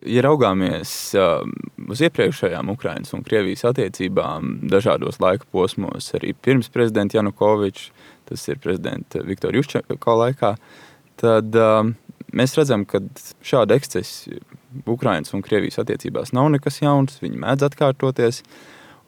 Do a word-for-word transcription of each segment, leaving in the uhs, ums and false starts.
Ja raugāmies uh, uz iepriekšējām Ukrainas un Krievijas attiecībām dažādos laika posmos, arī pirms prezidenta Janukoviča, tas ir prezidenta Viktora Juščenko laikā, tad uh, mēs redzam, ka šāda ekscesi Ukrainas un Krievijas attiecībās nav nekas jauns, viņi mēdz atkārtoties,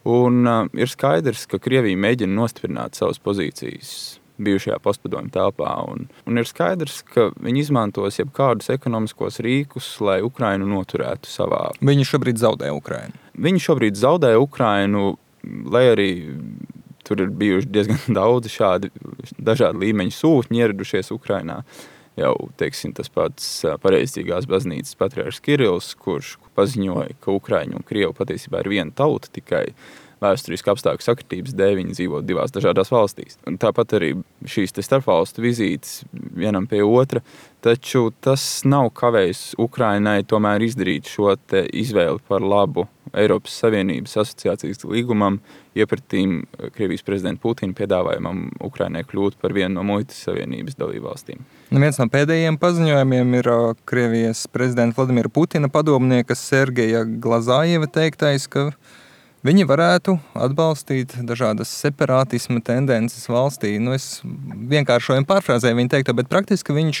un uh, ir skaidrs, ka Krievija mēģina nostiprināt savas pozīcijas bijušajā postpadomju telpā. Un, un ir skaidrs, ka viņi izmantos jebkādus ekonomiskos rīkus, lai Ukrainu noturētu savā. Viņi šobrīd zaudē Ukrainu. Viņi šobrīd zaudē Ukrainu, lai arī tur ir bijuši diezgan daudzi šādi dažādi līmeņi sūtņi ieradušies Ukrainā. Jau, teiksim, tas pats pareizcīgās baznīcas patriārhs Kirills, kurš paziņoja, ka Ukraiņu un Krievu patiesībā ir viena tauta, tikai vēsturiski apstākļu sakritības dēļ viņi dzīvo divās dažādās valstīs. Un tāpat arī šīs te starpvalstu vizītes vienam pie otra, taču tas nav kavējis Ukrainai tomēr izdarīt šo te izvēli par labu Eiropas Savienības asociācijas līgumam, iepratīm Krievijas prezidenta Putina piedāvājumam Ukrainai kļūt par vienu no muitas savienības dalībvalstīm. Nu, viens no pēdējiem paziņojumiem ir Krievijas prezidenta Vladimira Putina padomnieka Sergeja Glazājeva teiktais, ka viņi varētu atbalstīt dažādas separātisma tendences valstī. Nu, es vienkāršojam pārfrāzēju viņa teikto, bet praktiski viņš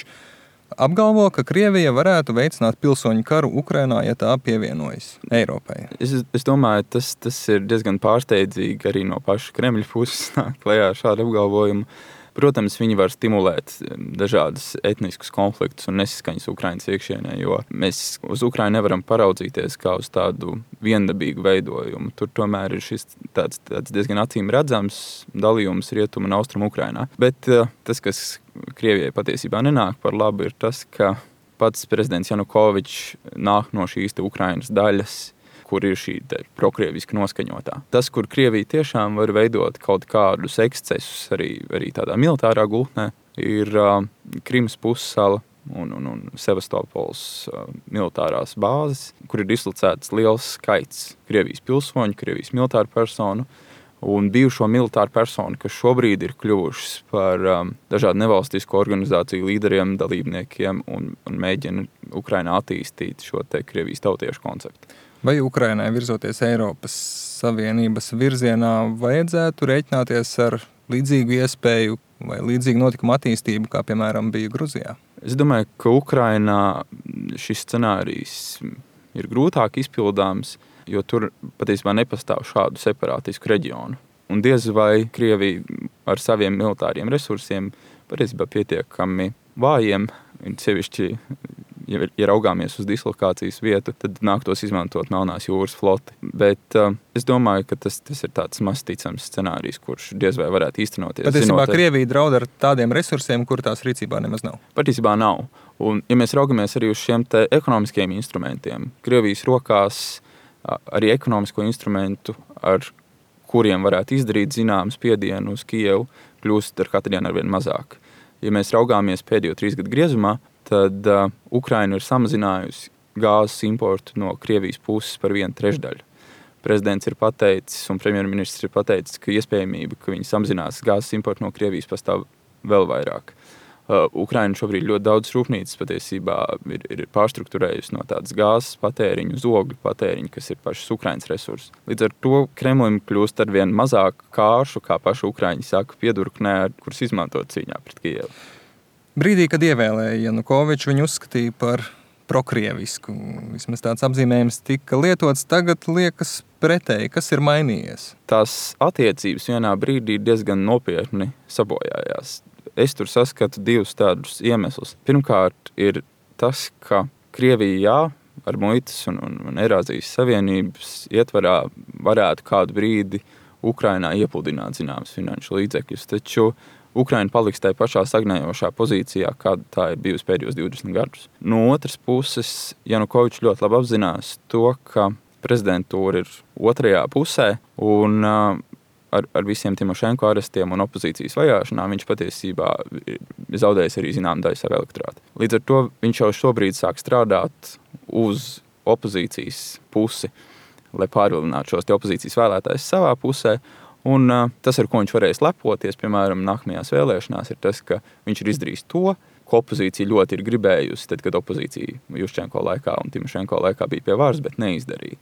apgalvo, ka Krievija varētu veicināt pilsoņu karu Ukrainā, ja tā pievienojas Eiropai. Es, es domāju, tas, tas ir diezgan pārsteidzīgi arī no paša Kremļa puses nāk klajā ar šādu apgalvojumu. Protams, viņi var stimulēt dažādas etniskus konfliktus un nesaskaņas Ukrainas iekšienē, jo mēs uz Ukrainu nevaram paraudzīties kā uz tādu viendabīgu veidojumu. Tur tomēr ir šis tāds, tāds diezgan acīm redzams dalījums rietumu un austrumu Ukrainā. Bet tas, kas Krievijai patiesībā nenāk par labu, ir tas, ka pats prezidents Janukovičs nāk no šīs te Ukrainas daļas, kur ir šī prokrieviski noskaņotā. Tas, kur Krievija tiešām var veidot kaut kādus ekscesus arī, arī tādā militārā gultnē, ir uh, Krimas pussala un, un, un Sevastopols uh, militārās bāzes, kur ir dislocēts liels skaits Krievijas pilsoņu, Krievijas militāru personu un bijušo militāru personu, kas šobrīd ir kļuvušas par um, dažādu nevalstisko organizāciju līderiem, dalībniekiem un, un mēģina Ukrainā attīstīt šo te Krievijas tautiešu konceptu. Vai Ukrainai virzoties Eiropas Savienības virzienā vajadzētu rēķināties ar līdzīgu iespēju vai līdzīgu notikumu attīstību, kā piemēram bija Gruzijā? Es domāju, ka Ukrainā šis scenārijs ir grūtāk izpildāms, jo tur patiesībā nepastāv šādu separātisku reģionu. Un diez vai Krievija ar saviem militāriem resursiem patiesībā pietiekami vājiem, sevišķi, ja, ja raugāmies uz dislokācijas vietu, tad nāktos izmantot Melnās jūras floti. Bet uh, es domāju, ka tas, tas ir tāds maz ticams scenārijs, kurš diez vai varētu īstenoties. Patiesībā Krievija draud ar tādiem resursiem, kur tās rīcībā nemaz nav. Patiesībā nav. Un, ja mēs raugamies arī uz šiem te ekonomiskiem instrumentiem, Krievijas rokās arī ekonomisko instrumentu, ar kuriem varētu izdarīt zināmu spiedienu uz Kijevu, kļūst ar katru dienu arvien mazāk. Ja mēs raugāmies pēdējo trīs gadu griezumā, tad uh, Ukraina ir samazinājusi gāzes importu no Krievijas puses par vienu trešdaļu. Prezidents ir pateicis un premjerministrs ir pateicis, ka iespējamība, ka viņi samazinās gāzes importu no Krievijas, pastāv vēl vairāk. Uh, Ukraina šobrīd ļoti daudz rūpnīcas patiesībā ir, ir pārstrukturējusi no tādas gāzes patēriņu uz ogļu patēriņu, kas ir pašas Ukrainas resursi. Līdz ar to Kremlim kļūst ar vien mazāk kāršu, kā paši Ukraiņi saka, piedurknē, kurus izmantot cīņā pret Kijevu. Brīdī, kad ievēlēja Janukoviču, viņu uzskatīja par prokrievisku. Vismaz tāds apzīmējums tika lietots, tagad liekas pretēji. Kas ir mainījies? Tās attiecības vienā brīdī diezgan nopietni sabojājās. Es tur saskatu divus tādus iemeslus. Pirmkārt ir tas, ka Krievija jā, ar muitas un, un, un Eirāzijas Savienības ietvarā varētu kādu brīdi Ukrainā iepludināt zināmas finanšu līdzekļus, taču Ukraina paliks tajā pašā stagnējošā pozīcijā, kāda tā ir bijusi pēdējos divdesmit gadus. No otras puses, Janukovičs ļoti labi apzinās to, ka prezidentūra ir otrajā pusē un uh, Ar, ar visiem Timošenko arestiem un opozīcijas vajāšanām viņš patiesībā ir zaudējis arī zinām daļu savu elektorātu. Līdz ar to viņš jau šobrīd sāk strādāt uz opozīcijas pusi, lai pārvilinātu šos te opozīcijas vēlētājus savā pusē. Un uh, tas, ar ko viņš varēs lepoties, piemēram, nākamajās vēlēšanās, ir tas, ka viņš ir izdarījis to, ko opozīcija ļoti ir gribējusi, tad, kad opozīcija Juščenko laikā un Timošenko laikā bija pie varas, bet neizdarīja.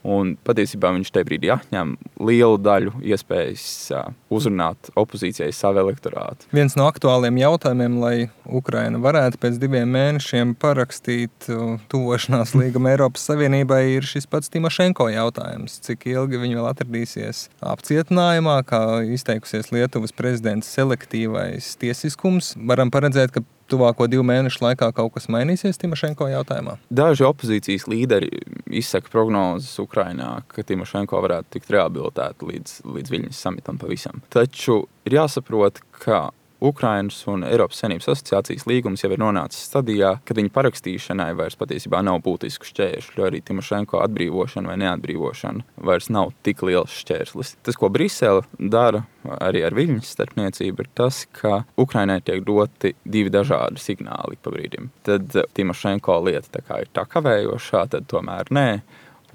Un patiesībā viņš tajā brīdī atņem lielu daļu iespējas uh, uzrunāt opozīcijai savu elektorātu. Viens no aktuāliem jautājumiem, lai Ukraina varētu pēc diviem mēnešiem parakstīt uh, tuvošanās līgumu Eiropas Savienībai, ir šis pats Timošenko jautājums. Cik ilgi viņi vēl atradīsies apcietinājumā, kā izteikusies Lietuvas prezidents selektīvais tiesiskums. Varam paredzēt, ka tuvāko divu mēnešu laikā kaut kas mainīsies Timošenko jautājumā? Daži opozīcijas līderi izsaka prognozes Ukrainā, ka Timošenko varētu tikt rehabilitēta līdz, līdz Viļņas samitam pavisam. Taču ir jāsaprot, ka Ukrainas un Eiropas Savienības asociācijas līgums jau ir nonācis stadijā, kad viņa parakstīšanai vairs patiesībā nav būtisku šķēršļu, jo arī Timošenko atbrīvošana vai neatbrīvošana vairs nav tik liels šķērslis. Tas, ko Brisele dara arī ar Viļņas starpniecību, ir tas, ka Ukrainai tiek doti divi dažādi signāli pa brīdim. Tad Timošenko lieta tā kā ir tā kavējošā, tad tomēr nē.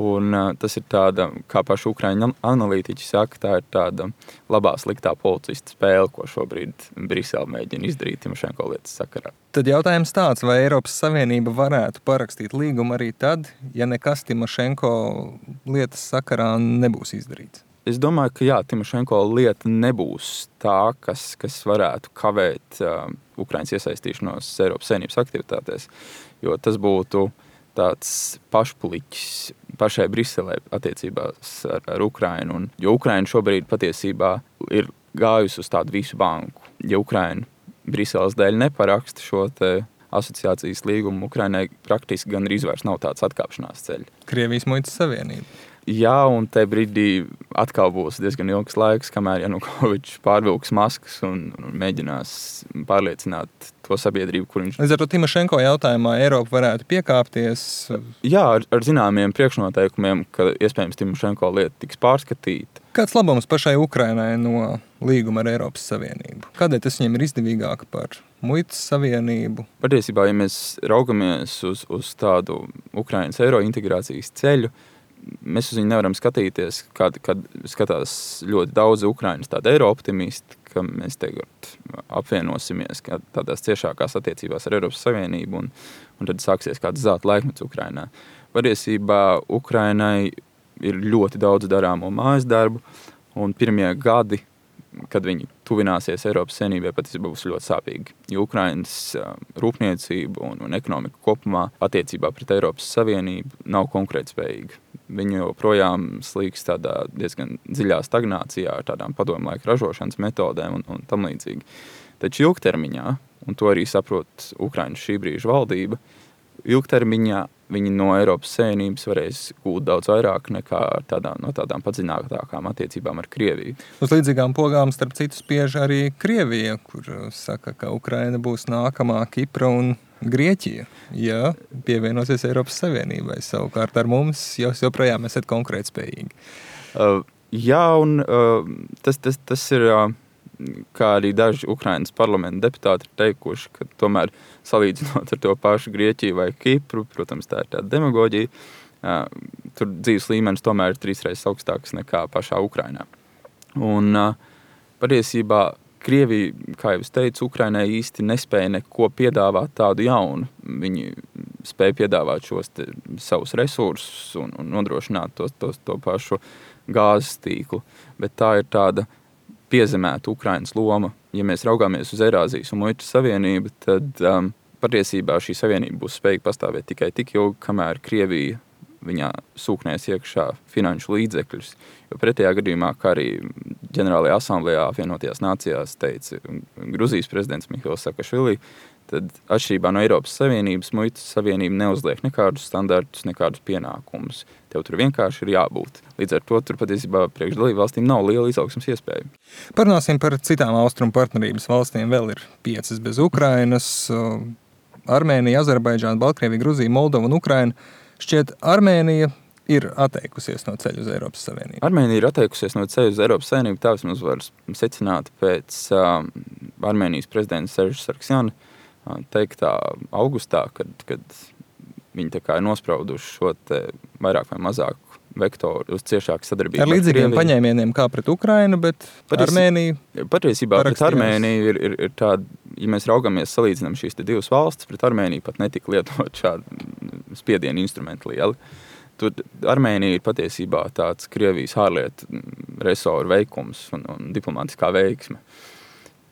Un uh, tas ir tāda, kā paši Ukraiņu analītiķi saka, tā ir tāda labā sliktā policista spēle, ko šobrīd Brisele mēģina izdarīt Timošenko lietas sakarā. Tad jautājums tāds, vai Eiropas Savienība varētu parakstīt līgumu arī tad, ja nekas Timošenko lietas sakarā nebūs izdarīts? Es domāju, ka jā, Timošenko lieta nebūs tā, kas, kas varētu kavēt uh, Ukrainas iesaistīšanos Eiropas Savienības aktivitātēs, jo tas būtu tāds pašpuliķis pašai Briselē attiecībās ar, ar Ukrainu. Un, jo Ukraina šobrīd patiesībā ir gājusi uz tādu visu banku. Ja Ukraina Briseles dēļ neparaksta šo te asociācijas līgumu, Ukrainai praktiski gan arī vairs nav tāds atkāpšanās ceļš. Krievijas muitas savienība. Jā, un te brīdī atkal būs diezgan ilgs laiks, kamēr Janukovičs pārvilks maskas un, un mēģinās pārliecināt to sabiedrību, kur viņš... Līdz ar to Timošenko jautājumā Eiropa varētu piekāpties? Jā, ar, ar zināmiem priekšnoteikumiem, ka iespējams Timošenko lieta tiks pārskatīta. Kāds labums pašai Ukrainai no līguma ar Eiropas Savienību? Kādēļ tas viņiem ir izdevīgāk par muitas savienību? Patiesībā, ja mēs raugamies uz, uz tādu Ukrainas eiro integrācijas ceļu, mēs uz viņu nevaram skatīties, kad, kad skatās ļoti daudz Ukrainas tāda eiro optimisti, ka mēs tagad apvienosimies tādās ciešākās attiecībās ar Eiropas Savienību un, un tad sāksies kāds zelta laikmets Ukrainā. Patiesībā Ukrainai ir ļoti daudz darāmo mājas darbu un pirmie gadi, kad viņi tuvināsies Eiropas Savienībai, patiesībā būs ļoti sāpīgi. Jo Ukrainas rūpniecība un, un ekonomika kopumā attiecībā pret Eiropas Savienību nav konkurētspējīga. Viņi joprojām slīgs tādā diezgan dziļā stagnācijā ar tādām padomu laika ražošanas metodēm un, un tam līdzīgi. Taču ilgtermiņā, un to arī saprot Ukrainas šī brīža valdība, ilgtermiņā viņi no Eiropas Savienības varēs gūt daudz vairāk nekā tādā, no tādām padziļinātākām attiecībām ar Krieviju. Uz līdzīgām pogām starp citu spiež arī Krievija, kur saka, ka Ukraina būs nākamā Kipra un Grieķija, ja pievienosies Eiropas Savienībai. Savukārt ar mums jau joprojām esat konkurētspējīgi. Uh, jā, un uh, tas, tas, tas ir... Uh, kā arī daži Ukrainas parlamenta deputāti ir teikuši, ka tomēr salīdzinot ar to pašu Grieķiju vai Kipru, protams, tā ir tāda demagoģija, tur dzīves līmenis tomēr ir trīsreiz augstāks nekā pašā Ukrainā. Un patiesībā Krievija, kā jau es teicu, Ukrainai īsti nespēja neko piedāvāt tādu jaunu. Viņi spēja piedāvāt šos te, savus resursus un, un nodrošināt tos, tos, to pašu gāzes tīklu, bet tā ir tāda piezemēta Ukrainas loma. Ja mēs raugāmies uz Eirāzijas un muitas savienību, tad um, patiesībā šī savienība būs spējīga pastāvēt tikai tik ilgi, kamēr Krievija viņā sūknēs iekšā finanšu līdzekļus. Jo pretējā gadījumā, kā arī ģenerālajā asamblējā apvienotajās nācijās teica Gruzijas prezidents Mihails Sakašvili, tad atšķirībā no Eiropas Savienības, muitas savienība neuzliek nekādus standartus, nekādus pienākumus. Tev tur vienkārši ir jābūt. Līdz ar to tur patiesībā priekš dalību valstīm nav liela izaugsmas iespēja. Parunāsim par citām austrumu partnerības valstīm. Vēl ir piecas bez Ukrainas – Armēnija, Azerbaidžāna, Baltkrievija, Gruzija, Moldova un Ukraina. Šķiet, Armēnija ir atteikusies no ceļa uz Eiropas Savienību. Armēnija ir atteikusies no ceļa uz Eiropas Savienību. Tā vismaz var secināt pēc uh, Armēnijas prezidenta Serža Sarksjana teiktā augustā, kad, kad viņi tā kā ir nosprauduši šo te vairāk vai mazāk vektoru uz ciešāku sadarbību. Ar līdzīgiem paņēmieniem kā pret Ukrainu, bet Paties, Armēnija... Patiesībā pret Armēniju ir, ir, ir tāda ja mēs raugamies, salīdzinām šīs divas valstis, pret Armēniju pat netika lietot šādu spiedienu instrumentu lieli. Tur Armēnija ir patiesībā tāds Krievijas ārlietu resoru veikums un, un diplomātiskā veiksme.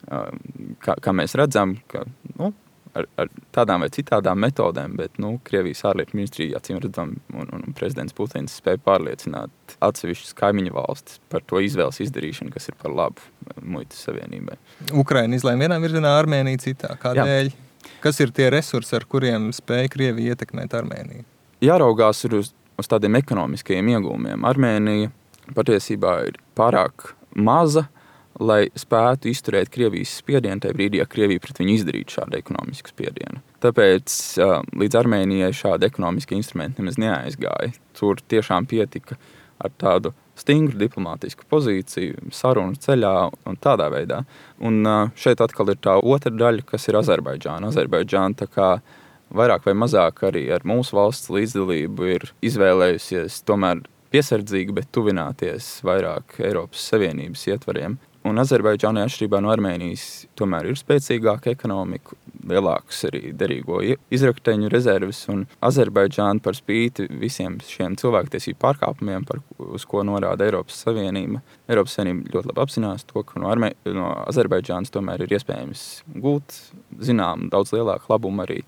Kā, kā mēs redzam, ka nu, ar, ar tādām vai citādām metodēm, bet nu, Krievijas ārlietu ministrija, acīm redzam, un, un prezidents Putins spēja pārliecināt atsevišķas kaimiņu valstis par to izvēles izdarīšanu, kas ir par labu muitas savienībai. Ukraina izlēma vienā virzienā, Armēnija citā. Kādēļ? Jā. Kas ir tie resursi, ar kuriem spēja Krievija ietekmēt Armēniju? Jāraugās ir uz, uz tādiem ekonomiskajiem iegūmiem. Armēnija patiesībā ir pārāk maza, lai spētu izturēt Krievijas spiedienu tajā brīdī, ja Krievija pret viņu izdarītu šādu ekonomisku spiedienu. Tāpēc līdz Armēnijai šādi ekonomiski instrumenti nemaz neaizgāja. Tur tiešām pietika ar tādu stingru diplomātisku pozīciju, sarunu ceļā un tādā veidā. Un šeit atkal ir tā otra daļa, kas ir Azerbaidžāna. Azerbaidžāna tā kā vairāk vai mazāk arī ar mūsu valsts līdzdalību ir izvēlējusies tomēr piesardzīgi, bet tuvināties vairāk Eiropas Savienības ietvariem. Un Azerbaidžānai atšķirībā no Armēnijas tomēr ir spēcīgāka ekonomika, lielākas arī derīgo izrakteņu rezerves, un Azerbaidžāna par spīti visiem šiem cilvēktiesību pārkāpumiem, par, uz ko norāda Eiropas Savienība. Eiropas Savienība ļoti labi apzinās to, ka no, Armē, no Azerbaidžānas tomēr ir iespējams gūt, zinām, daudz lielāku labumu arī,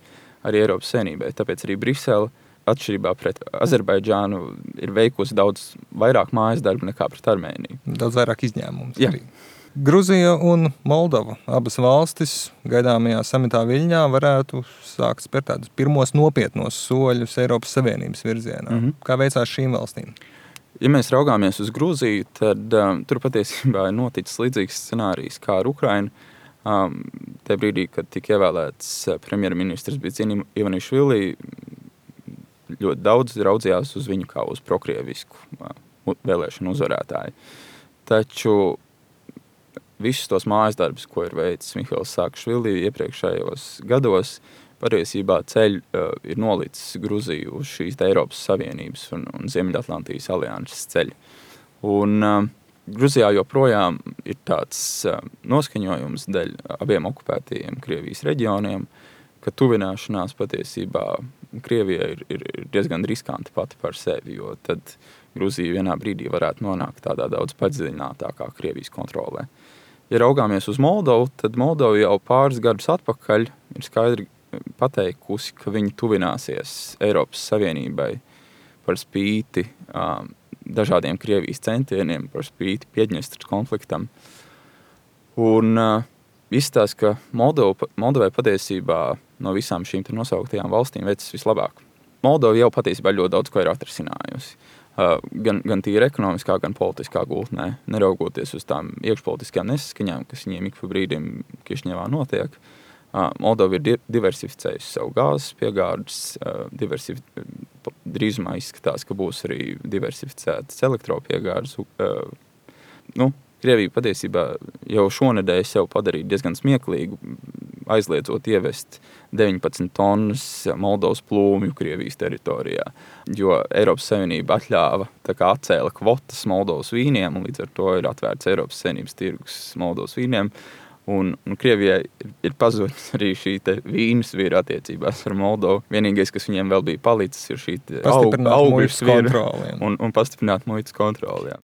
arī Eiropas Savienībai. Tāpēc arī Brisele, atšķirībā pret Azerbaidžānu, ir veikusi daudz vairāk mājas darbu nekā pret Armēniju. Daudz vairāk izņēmumus. Jā. Arī. Gruzija un Moldova, abas valstis gaidāmajā samitā Viļņā varētu sākt spērt tādus pirmos nopietnos soļus Eiropas Savienības virzienā. Mm-hmm. Kā veicās šīm valstīm? Ja mēs raugāmies uz Gruziju, tad um, tur patiesībā ir noticis līdzīgs scenārijs kā ar Ukrainu. Um, tajā brīdī, kad tika ievēlēts premjerministrs Bidzina Ivanišvili, ļoti daudz raudzījās uz viņu kā uz prokrievisku uh, vēlēšanu uzvarētāju. Taču visus tos mājas darbus, ko ir veicis Mihails Saakašvili iepriekšējos gados, patiesībā ceļ uh, ir nolicis Gruziju uz šīs Eiropas Savienības un, un Ziemeļatlantijas alianses ceļu. Un uh, Gruzijā joprojām ir tāds uh, noskaņojums dēļ abiem okupētajiem Krievijas reģioniem, ka tuvināšanās patiesībā Krievijai ir, ir, ir diezgan riskanti pati par sevi, jo tad Gruzija vienā brīdī varētu nonākt tādā daudz padziļinātākā Krievijas kontrolē. Ja raugāmies uz Moldovu, tad Moldova jau pāris gadus atpakaļ ir skaidri pateikusi, ka viņi tuvināsies Eiropas Savienībai par spīti um, dažādiem Krievijas centieniem, par spīti Piedņestras konfliktam. Un uh, izstāsta, ka Moldova, Moldovai patiesībā no visām šīm nosauktajām valstīm veicas vislabāk. Moldova jau patiesībā ļoti daudz ko ir atrisinājusi. Uh, gan, gan tīri ekonomiskā, gan politiskā gultnē, neraugoties uz tām iekšpolitiskajām nesaskaņām, kas viņiem ik pa brīdim Kišņevā notiek. Uh, Moldova ir di- diversificējusi savu gāzes piegādes, uh, diversif- drīzumā izskatās, ka būs arī diversificētas elektropiegādes. Uh, nu, Krievija patiesībā jau šonedēļ sev padarīja diezgan smieklīgu, aizliedzot ievest deviņpadsmit tonnas Moldovas plūmju Krievijas teritorijā, jo Eiropas Savienība atļāva, tā kā atcēla kvotas Moldovas vīniem, un līdz ar to ir atvērts Eiropas Savienības tirgus Moldovas vīniem, un, un Krievijai ir, ir pazudis arī šī te vīnu svīra attiecībās ar Moldovu. Vienīgais, kas viņiem vēl bija palicis, ir šī augļu svīra un, un pastiprināt muitas kontroli. Jā.